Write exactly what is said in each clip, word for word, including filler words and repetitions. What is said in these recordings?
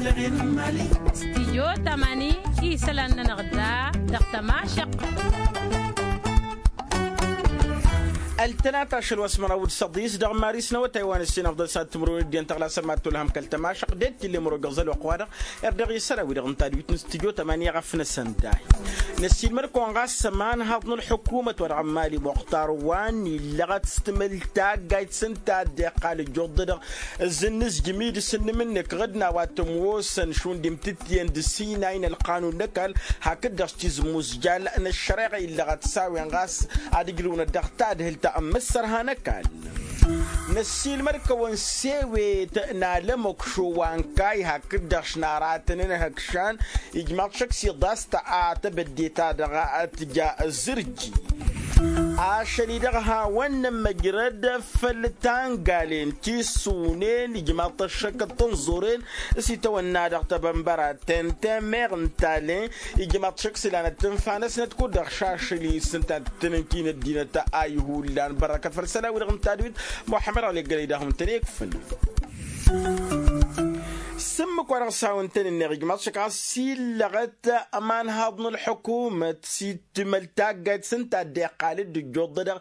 Stijyo tamani isălan-nănăɣ da dăɣ-tămašăqq. Ăltănat ašăl wa s-măraw d-săḍis dăɣ-maris n-awătay wa n-ǝssin ăfḍăl s-ad-timǝrwen d-iyyăn tăɣlasăn mad-tolhăm kăl-tămašăqq d-e-t tǝlle imăro găẓăl wa ăqwa-dăɣ. Erdăɣ isălan-wi-dăɣ n-tadwit n-stijyo tamani i-ɣăf-năsăn dahi. Năssiilmăd-kăwăn ɣas ămanhaḍ n-ălḥukumăt wa dăɣ-mali muxtar wa n-illăɣăt s-timǝl taggayt s-ǝnta a dd-iqqal ǝjjuḍ-dăɣ. Ǝzzǝnnǝzjǝm-i d-asǝnnǝm-nǝk ɣǝd n-a-wa t-ămoosăn šund imtǝttǝyăn d-sinay n-ălqanun n-ăkall hakd-dăɣ s-tizǝmmuzjal n-ăššăreɣa illăɣăt s-a-wen ɣas ad-ǝjrǝwnăt dăɣ-tadhǝlt n-imǝssărha n-ăkall. Năssiilmăd-kăwăn s-ewet n-alămăkšo wa n-kayy hakd-dăɣ š-naratăn n-hăkšan ijmaḍ šăkk s-iḍas ta a tebădde-ta-dăɣ tǝja zǝrji. Ašăl-i-dăɣ hawăn-nămmăjrăd făll-tangalen ti s-sunen ijmaḍ-t ăššăk d-tănẓuren s-itawănna dăɣ-tebănbăra tenten meɣ n-talen ijmaḍ-t šăkk s-ilanăt tǝnfa-năsnăt kud-dăɣ šašăl-i s-ǝnta tǝnǝnki n-ăddinăt a ihullan bărrăkăt făll-isălan-wi-dăɣ n-tadwit. Muḥămmăd ăɣlek gălăy d-ahun tăn-ekfǝn. S-ǝmmǝk wa dăɣ-s hawăn-tăn-ǝnneɣ ijmaḍ-t šăkk ɣas s-illăɣăt ămanhaḍ n-ălḥukumăt s-timăl taggayt s-ǝnta a dd-iqqal dd-ǝjjuḍ-dăɣ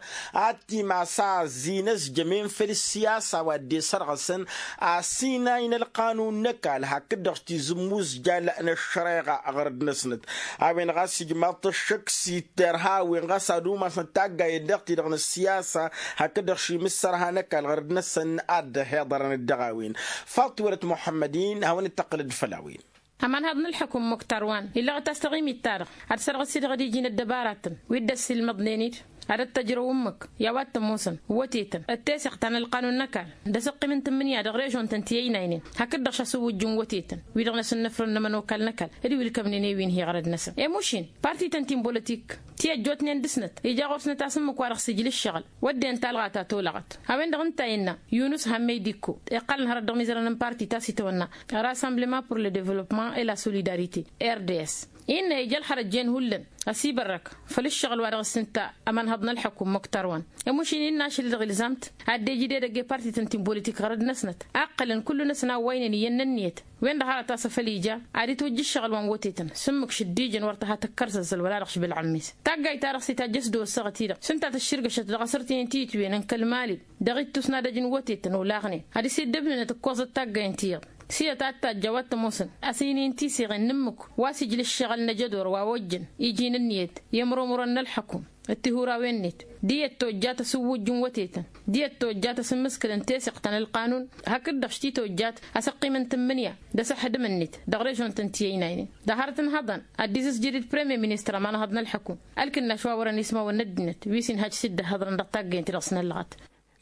ad-t-imas a ăzzi n-ăzjămen făll-ǝssiyasa wa dd-isărɣăsăn asinay n-ălqanun n-ăkall hakd-dăɣ tizǝmmuzjal n-ăššăreɣa ɣărăd-năsnăt. A-wen ɣas ijmaḍ-t ăššăk s-itterha a-wen ɣas ad-umasnăt taggayen dăɣ-ti-dăɣ n-ăssiyasa hakd-dăɣ šimǝssărha n-ăkall ɣărăd-năsăn ad-dd-ăhiḍărăn dăɣ-a-wen. Faḍt tiwălăt muḥămmăd-in hawăn-dd-tăqqǝlăd făll-a-wen. Ămanhaḍ n-ălḥăkum muktar wa n-illăɣăt a-s taɣimit-ta-dăɣ ad-sărɣǝs-i dăɣ-ad-iji n-ăddăbaratăn wi dd-ăssiilmăḍnen-dd ad-ăttăjrăw ǝmmǝk i-a-wa t-ămoosăn wătetăn d-teseɣt ta n-ălqanun n-ăkall d-asǝqqim n-tǝmmǝnǝya dăɣ-režon-tăn ti ăynaynen hakd-dăɣ šasǝwwǝjjǝn wătetăn wi-dăɣ n-asǝnnăfrăn n-ămănokal n-ăkall d-wi ǝlkămnen i-wi n-hi-iɣrăd-năsăn i-mušin parti-tăn ti n-bolătik ti ăjjootnen dăɣ-snăt ija ɣur-snăt a-s ǝmmǝk wa dăɣ-s ijla ǝššăɣǝl wădden talɣa ta tolăɣăt. A-wen-dăɣ ǝnta a innă yunǝs hammey d-ikko iqqălăn hărăt dăɣ-imizărăn n-parti ta s-itawănna rassemblement pour le développement et la solidarité r d s innă ija ălxărăt jen hullan ăsibărrăk făll-ǝššăɣǝl wa dăɣ-s ǝnta ămănhăḍ n-ălxăkum muktar wa n-ămušin innă ašăl-i-dăɣ ilzam-t ad-dd-ejăd edăgg i-parti-tăn ti n-bolătik ɣărăd-năsnăt a ǝqqălăn kullu-năsăn a ăwwăynen iyyăn n-ǝnniyăt. Wen-dăɣ hărăt a-s afăl ija ad-itwǝjj ǝššăɣǝl wa n-wătetăn s-ǝmmǝk šǝddijăn wăr tăha tăkkăr s-ăzzăl wăla dăɣ-išbǝl ăɣmis. Taggayt-ta-dăɣ s-itajjăš d-osăɣăt-i-dăɣ s-ǝnta tǝšširgăšăt dăɣ-asărtinen ti ǝtwǝyăn n-kăl-mali dăɣ-ittus n-adăj n-wătetăn olaɣnen ad-isiddǝbnǝnăt ǝkkoẓăt taggayen ti iyyăḍ s-iyyăt a t-tajj a-wa t-ămoosăn ăsǝynen tiseɣen n-ǝmmǝk wa s-ijla ǝššăɣǝl n-ejădor wa ojjăn iji n-ǝnniyăt i-ămromrăn n-ălxăkum d-tihurawen-net. D-iyyăt tojjat asǝwwǝjj n-wătetăn d-iyyăt tojjat asǝmmǝskǝlăn teseɣt ta n-ălqanun hakd-dăɣ š-ti tojjat asăqqim n-tǝmmǝnǝya d-asăḥdǝm-net dăɣ-režon-tăn ti ăynaynen. Dăɣ-hărăt n-ihăḍan ad-dd-izǝzjǝd d-premye ministăr ămanhăḍ n-ălxăkum ălkǝnnaš wa wărăn ismawăn n-ăddinăt wi s-inhăj s-dd-ăhhăḍrăn dăɣ-taggăyăn-ti-dăɣ s-năllăɣăt.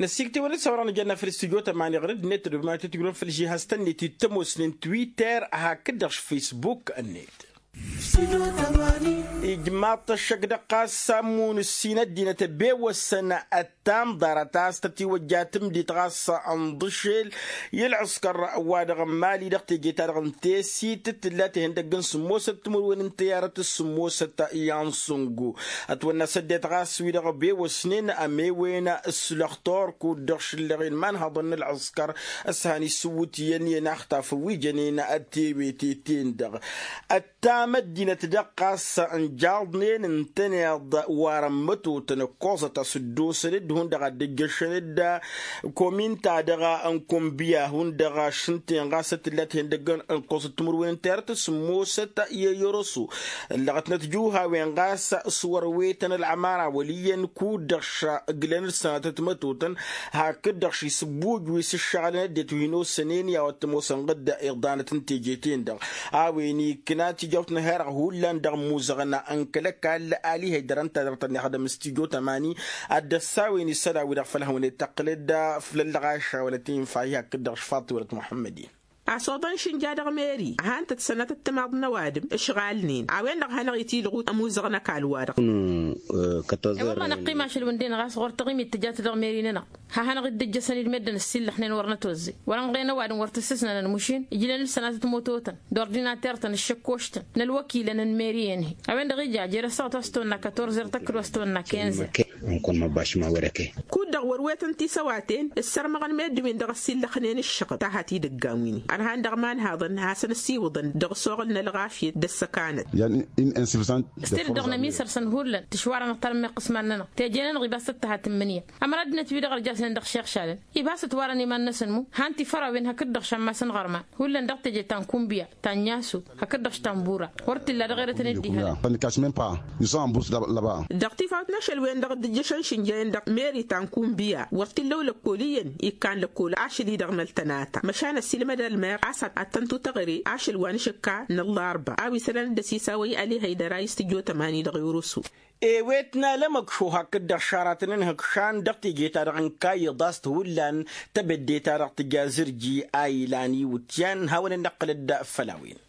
Năssiiktewăn-dd s-a-wărăn ijănna făll-studyo tămani ɣur-ăddinăt d-ăddumanăt ătwǝjrăwăn făll-žihaz-tăn-net i-ămoosnen twitter hakd-dăɣ-s facebook-net. Ijmaḍ-t ăššăk dăɣ-ɣas ammun ǝssin ăddinăt ăbewăsăn ăttamḍarăt a-s tătiwăjja tǝmdit ɣas ănḍǝšel i-ălɣǝskăr wa dăɣ-mali dăɣ-teje-ta-dăɣ n-tesit t-tǝlla tihăndăgg n-sǝmmosăt timǝrwen n-tăyarăt s-sǝmmosăt i-ansungu. Ătwănna s-ăddinăt ɣas wi-dăɣ ăbewăsnen ămewen s-lăxtor kud-dăɣ šǝllăɣen imanhăḍăn n-ălɣǝskăr s-han isǝwwǝt iyyăn i-inaxtafăn wi jănen tewete-ten-dăɣ. Ăttam ăddinăt dăɣ-ɣas ǝnjaḍnen ǝntăneḍ warăn mătotăn ǝkkoẓăt a-s dd-osăn-dd hundăɣ ad-dd-ǝjjăšăn-dd komin-ta-dăɣ n-kunbiya hundăɣ ašǝnten ɣas tǝlla tihăndăgg n-ǝkkoẓăt timǝrwen n-terăt s-sǝmmosăt i-eyăroso. Ǝllăɣătnăt juhawen ɣas s-wăr-wetăn ălɣămara wăl' iyyăn kud-dăɣ šăgglăn-dd sănatăt mătotăn hakd-dăɣ šisǝbbuj wi s-ǝššăɣǝlăn ăddinăt wi hin-osănen i-a-wa t-ămoosăn ɣǝd iḍanăt n-teje-ten-dăɣ. A-wen ikna tijawt n-ehăreɣ hullan dăɣ-imuzăɣna n-kăl-ăkall alihăy dăr-ănta dăɣ-tăn-ixdăm s-tijo tămani. Ad-dd-ăssawen isălan-wi-dăɣ făll-hawăn-dd-tăqqǝlăd făll-ăllăɣaša wăla tinfa-hi hakd-dăɣ šfaḍ tiwălăt muḥămmăd-in. Asoḍăn šǝnja dăɣ-meri a han-tăt-sănatăt timaḍ n-ăwadǝm ǝšɣalnen a-wen-dăɣ hanăɣ-itilɣu ămuzăɣ n-ăkall-wa-dăɣ. E-wălla năqqim ašăl wǝnden ɣas ɣur-taɣimit tǝjat dăɣ-meri-nănăɣ. Ha-hanăɣ-dd-ǝjjăsăn-dd meddǝn ǝssillăxnen wăr nătozzey wăr-ănɣen ăwadǝm wăr tǝssǝsnănăn mušin ǝjlăn-dd sănatăt mototăn d-ordinatert-tăn d-iššăkkoštăn n-ălwăkilăn n-meri-en-hi. A-wen-dăɣ ija jer-ăssaɣăt wa s-tăwănna katorzer tăkkăd wa s-tăwănna kenzer. Ǝnkun măbbaš ma wăr-ăkăy. Kud-dăɣ wăr-wetăn tisăwaten ǝssărmăɣăn meddǝn-win-dăɣ ăssiillăxnen ǝššăɣăb ta hăt-idăggan-win-i ărhan dăɣ-imanhaḍăn hasăn-ăssiwǝḍăn dăɣ-ăsoɣǝl n-ălɣafyăt d-ăssăkanăt. S-tedăɣ n-ămisărsăn hullan tǝšwarănăɣ talămmeɣt iqǝsman-nănăɣ teje-nănăɣ ibas tăt-tăhat n-imǝnǝya. Ămăra ăddinăt-wi-dăɣ ărjasnen dăɣ-išixšalăn ibas ătwarăn iman-năsăn mu han-t ifărawen hakd-dăɣ šammas n-iɣărman hullan dăɣ-teje ta n-kunbiya ta n-nyasu hakd-dăɣ š-tanbura. Wăr t-illa dăɣ-erătăn dd-ihălăn. Dăɣ-tifawt n-ašăl-wen-dăɣ dd-ǝjjăšăn šǝnjăyăn dăɣ-meri ta n-kunbiya wăr t-illa ulăkkol iyyăn ikkan lăkkol ašăl-i-dăɣ n-ăltănata măšan ăssiilmăd ălmer a-s ad-tăn-tutăɣre ašăl wa n-ašǝkka n-ăllarba a-wa isălan dd-ăsisawăy ălihăydăr a istǝjotăm ani dăɣ-irusu. Ewet n-alămăkšo hakd-dăɣ šaratăn n-ihǝkšan dăɣ-teje-ta-dăɣ n-kayy ḍast hullan tebădde-ta-dăɣ tǝja zǝrji a ilan iwǝtyan hawăn-dd-năqqǝlăd făll-a-wen.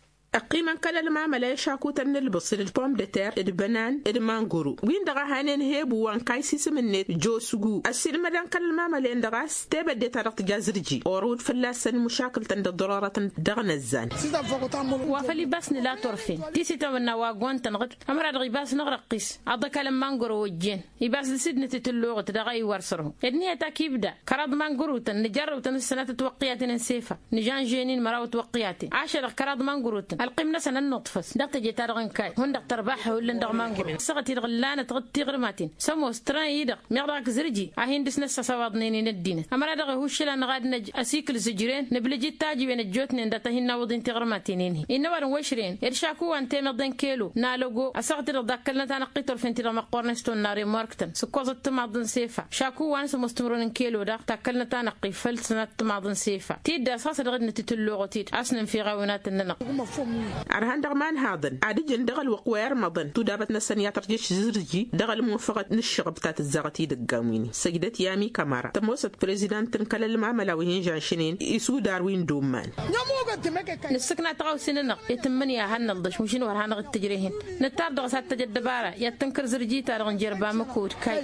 Ăqqimăn kăl-ălmamăla i-ašakutăn n-ǝlbǝṣǝl d-pomdăter d-bănan d-mangoro win-dăɣ a hanen hebu wa n-kayy sisǝm-net josgu ăssiilmădăn kăl-ălmamăla-en-dăɣ a-s tebădde-ta-dăɣ tǝja zǝrji orăwăd fălla-săn mušakǝl-tăn d-ăḍḍărorătăn dăɣ-inăzzan. Wa făl ibas nǝla turfen ti s-itawănna wa ăgg-wa n-tănɣǝt ămăra-dăɣ ibas n-aɣrăqqis aḍăkalăn mangoro ojjen ibas d-sidnăt itǝlluɣăt daɣ a iwar sărhu. Ed nǝhăt ak ibda kăraḍ mangurutăn nǝjarrăwtăn ǝssănatăt wăqqiyaten n-sefa nǝžanžen-in măraw ătwăqqiyaten ašăl-dăɣ kăraḍ mangurutăn ălqim-năsăn ănnăḍfăs dăɣ-teje-ta-dăɣ n-kayy hundăɣ tărbaḥa hullan dăɣ-mangurutăn ăssaɣăt-i-dăɣ ǝllanăt ɣǝd tiɣrǝmaten s-ămoos tran-i-dăɣ meɣ dăɣ-ak zǝrji a hin-dăɣ-s năssăsawaḍnen-in ăddinăt ămăra dăɣ-ihuššǝl a năɣ ad-năj asikǝl zǝjren nǝblǝj d-tajǝwen ăjjootnen dat-a hin-nawǝḍ-in tiɣrǝmaten-in-hi. Innă ăwadǝm wăšrăyăn ed šaku wa n-temeḍe n-kelo n-alăgo ăssaɣăt-i-dăɣ dakkălnăt anăqqi turfen-ti-dăɣ măqqornen s-tonna remork-tăn s-ǝkkoẓăt timaḍ n-sefa šaku wa n-sămoos timǝrwen n-kelo daɣ takkălnăt anăqqi făll-sănat timaḍ n-sefa tiddas ɣas dăɣ-dd-nătitǝlluɣăt-dd a-s nǝnfiɣ awǝnatăn-nănăɣ. Ărhan dăɣ-imanhaḍăn ad-ǝjǝn dăɣ-ălwăqq wa irmăḍăn tudabăt-năsăn i-ad-tărjăš zǝrji dăɣ-ălmunfăɣăt n-ǝššăɣăb ta tǝzzaɣăt idăggan wi-ni săjdăt i-ami kămăra tămoosăt prezidan-tăn kăl-ălmamăla wi hin-žănšnen isudar wi n-dumman. Nǝssǝkna tăɣawse-nănăɣ i-tǝmmǝnǝya a hannălḍăš mašin wăr hanăɣ-dd-tǝjrehen nǝttar dăɣ-s ad-tăj ăddăbara i-ad-tǝnkăr zǝrji-ta-dăɣ n-jerba măkod kayy.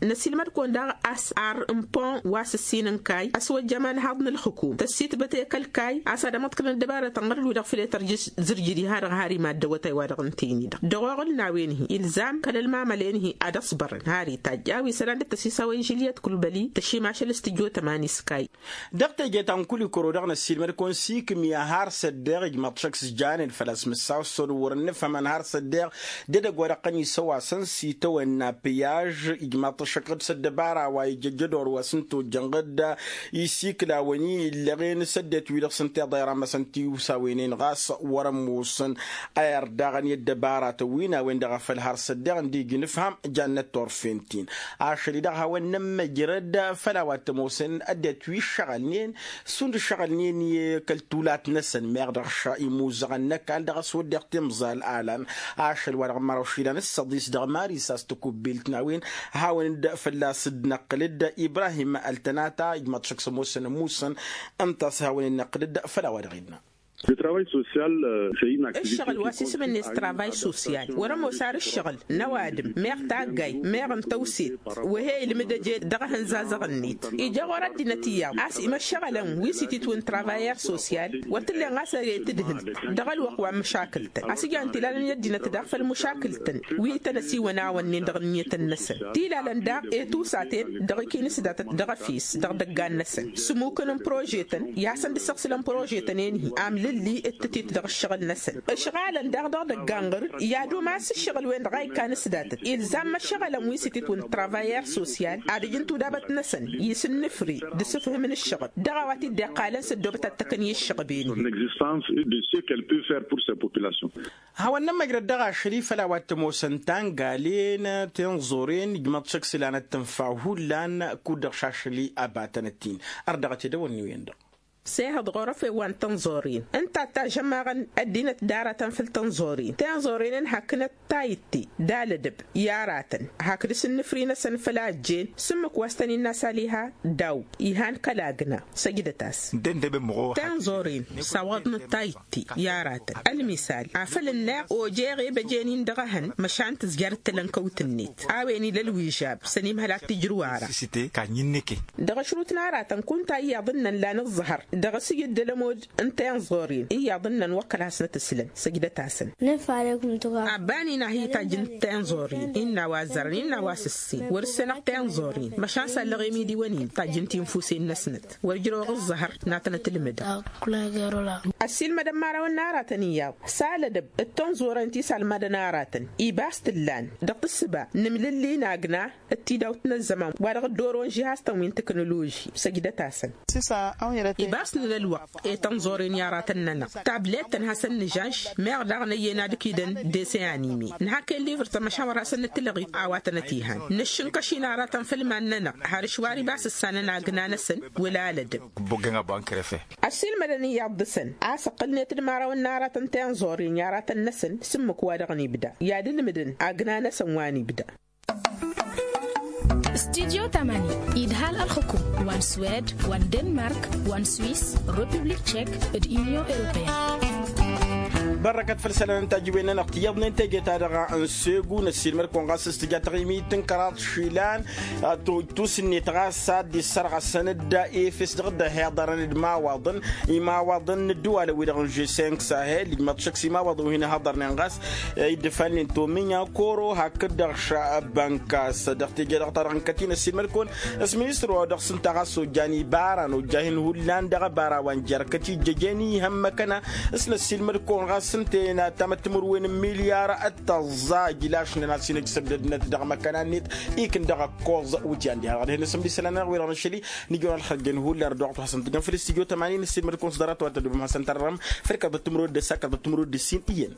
Năsiilmăd-kăwăn daɣ a-s ar n-pon wa s-ǝssin n-kayy ăswăjja imanhaḍ n-ǝlxǝkum tăssitbăt i-kăl-kayy a-s ad-ămăḍkălăn ăddăbarătăn ɣur-wi-dăɣ făll-e-tărjǝš zǝrjǝd-i ha-dăɣ har imaddăwătay-wa-dăɣ ǝntăyăn-i-dăɣ dăɣ-oɣǝl n-a-wen-hi ilzam kăl-ălmamălen-hi ad-ăṣbărăn har itajj a-wa isălan dd-tăsisawăy žǝlyăt kulbăli tăšimašăl s-tǝjotăm ani s-kayy. Dăɣ-teje ta n-kulikăro-dăɣ năssiilmăd-kăwăn s-ikǝmya har s-ăddeɣ ijmaḍ-t šăkk s-janen făl-a-s mǝssaw s-săr wăr-nǝfhămăn har s-ăddeɣ d-edăgg wa dăɣ-tăn isăwasăn s-itawănna pǝyaž ijmaḍ-t šăkk s-ăddăbara wa ijăjjăd orwa s-ǝnta ojjăn ɣǝdda isiklawăn-i illăɣen s-ăddinăt-wi-dăɣ s-ǝnta iḍa iramăsăn tiwsawen-en ɣas wăr-ămoosăn. Ayăr daɣăn i-ăddăbaratăn wi n-a-wen-dăɣ a făl har s-ăddeɣ ǝnda ija inǝfham jannăt turfen-t-in ašăl-i-dăɣ hawăn-nămmăjrăd făll-a-wa t-ămoosăn ăddinăt wi ǝššăɣălnen šund ǝššăɣălnen i-kăl-tulat-năsăn meɣ dăɣ-ša imuzăɣăn n-ăkall dăɣ-s wădden timẓal alan ašăl wa dăɣ-măraw išilan d-săḍis dăɣ-mari s-a-s takubbilt n-a-wen. Hawăn-dd fălla-s dd-năqqǝl-dd ibrahim ăltănata ijmaḍ-t šăkk s-ămoosăn ămuusăn ǝnta a-s hawăn-in-năqqǝl-dd făll-a-wa dăɣ-innă. Ǝššăɣǝl wa s-isǝm-net travay sosyal wăr-ămoos ar ǝššăɣǝl n-ăwadǝm meɣ taggay meɣ n-tăwset. Wăhe ilmǝd ăje dăɣ-ehăn zazăɣ-net ija ɣur-ăddinăt iyyăḍ a-s imăššăɣălăn wi s-ititwǝn travayăr sosyal wăr t-ǝllen ɣas ăre tǝdhǝlt dăɣ-ălwăqq wa n-măšakǝl-tăn a-s ǝjan tilalăn i-ăddinăt daɣ făll-măšakǝl-tăn wi tăn-ăsiwănawănnen dăɣ-ǝnniyătăn-năsăn tilalăn daɣ i-tusatăn dăɣ-ikinǝsdatăt dăɣ-efes dăɣ-idăggan-năsăn s-ǝmmukăn n-prožetăn i-ad-săn dd-săɣsǝlăn prožetăn-en-hi amlǝlli d-tǝtit dăɣ-ǝššăɣǝl-năsăn. Ǝšɣalăn daɣ dăɣ-idăggan ɣăr-dd i-ad-umas ǝššăɣǝl-wen-dăɣ a ikkan s-datăt ilzam măššăɣălăn wi s-ititwǝn travayăr sosyal ad-ǝjǝn tudabăt-năsăn i-sǝnnǝfre d-asǝfhǝm n-ǝššăɣǝb dăɣ-a-wa t-dd-iqqalăn s-ăddoobăt ad-tăkăn i-ǝššăɣǝb-en-hi. Hawăn-nămmăjrăd dăɣ-ašăl-i făll-a-wa t-ămoosăn tangalen tinẓoren ijmăḍ šăkk s-ilanăt tǝnfa hullan kud-dăɣ šašăl-i ăbatănăt-in. Ărdăɣăt edăwănni-wen-dăɣ. S-ehăḍ ɣur-efew wa n-tinẓoren ǝnta a t-ažămmaɣăn ăddinăt d-aratăn făll-tinẓoren tinẓoren-en haknăt tayǝtte d-alădăb i-aratăn hakd asǝnnǝfri-năsăn făll-a ăjjeen s-ǝmmǝk wa s-tăn-innă a-s aliha daw ihan kăl-agna. Săjdăt-as. Tinẓoren s-awăḍnăt tayǝtte i-aratăn ălmisal afăl ǝnneɣ ojeɣ ebăjen-in dăɣ-ehăn măšan tǝzjăr d-talănkăwt-net a-wen ila ălwižab s-ănimhăl ad-t-ijrǝw ara. Dăɣ-ašrut n-aratăn kunta iyyăḍ ǝnnăn lan ǝẓẓăhăr. Dăɣ-s iyyăt d-ălămod n-tenẓorin iyyăḍ ǝnnăn wăr kăl-hasnăt ǝslăn. Săjdăt-asăn. Abban-in a hi-tajjǝn tenẓorin innă a-wa ăzzărăn innă a-wa s-ǝssin wăr-ǝssenăɣ tenẓorin măšan s-allăɣ i-imidiwăn-in tajjǝn tinfusen-năsnăt wăr-ǝjrăwăɣ ǝẓẓăhăr. N-ad-tănăt-ǝlmǝdăɣ. Ăssiilmădăn imărawăn n-aratăn iyyăḍ s-alădăb d-tenẓoren ti s-almadăn aratăn ibas t-ǝllan dăɣ-tǝssǝba n-imlǝlli n-agna d-tidawt n-ăzzăman wa dăɣ-dd-oron žihaz-tăn wi n-tăknoloži. Săjdăt-asăn. Ibas n-ălwăqq i-tănẓoren i-aratăn-nănăɣ tablet-tăn hasăn-nǝžănš meɣ daɣ năyyen ad-ǝkidăn dese anime nǝhak i-livăr-tăn măšan wăr hasăn-nǝtǝlăɣit a-wa tănăt-ihan nǝššǝnkăš-in aratăn făll-iman-nănăɣ har ǝšwar ibas ǝssanăn agna-năsăn. Wăla alădăb. Ăssiilmădăn iyyăḍ dăɣ-săn a-s ǝqqǝlnet d-imărawăn n-aratăn tenẓoren i-aratăn-năsăn s-ǝmmǝk wa dăɣ-nibda i-ad-ǝlmǝdăn agna-năsăn wa nibda. Studyo tamani idhal ălxǝkum wa n-swed wa n-denmark wa n-swiss, republik tšek d-inyon europeyăn. Bărrăkăt făll-isălan n-tajǝwen-nănăɣ tiyyăḍnen teje-ta-dăɣ n-segu n-ăssiilmăd-kăwăn ɣas s-tǝja taɣimit n-kăraḍ išilan. Tusǝnnet ɣas ad-dd-issărɣăsăn-dd efes dăɣ-dd-ăhiḍărăn d-imawaḍăn imawaḍăn n-ǝddǝwalăn-wi-dăɣ n-žeseng sahel ijmăḍ šăkk s-imawaḍăn wi hin-ăhăḍărnen ɣas iddǝfalnen tominya koro hakd-dăɣ šăbănkas. Dăɣ-teje-dăɣ ta dăɣ-nǝkăt-in ăssiilmăd-kăwăn s-ministăr wa dăɣ-s ǝnta ɣas ojjan ibara n-ojjahin hullan dăɣ-abara wa n-jerkăt ijjăjen ihăn măkăna s-năssiilmăd-kăwăn ɣas ǝnta ena tamăt timǝrwen n-milyar d-tăẓẓa ijlašnen a-s hin-ăjsăbdădnăt dăɣ-măkăna-net. Ikǝn dăɣ-ăkkoẓ wǝtyan diha dăɣ-dăɣ-hen asǝmd isălan-nănăɣ wi-dăɣ n-ašăl-i. Nǝjăwăn ălxăjjăn hullan d-oɣtu hasăn-tǝjăn făll-istudyo tămanin n-asǝlmăd-kăwăn s-ḍarăt wa tădubăm hasăn-tărrăm făll-kăḍăt timǝrwed d-ăssak kăḍăt timǝrwed d-ǝssin iyyăn.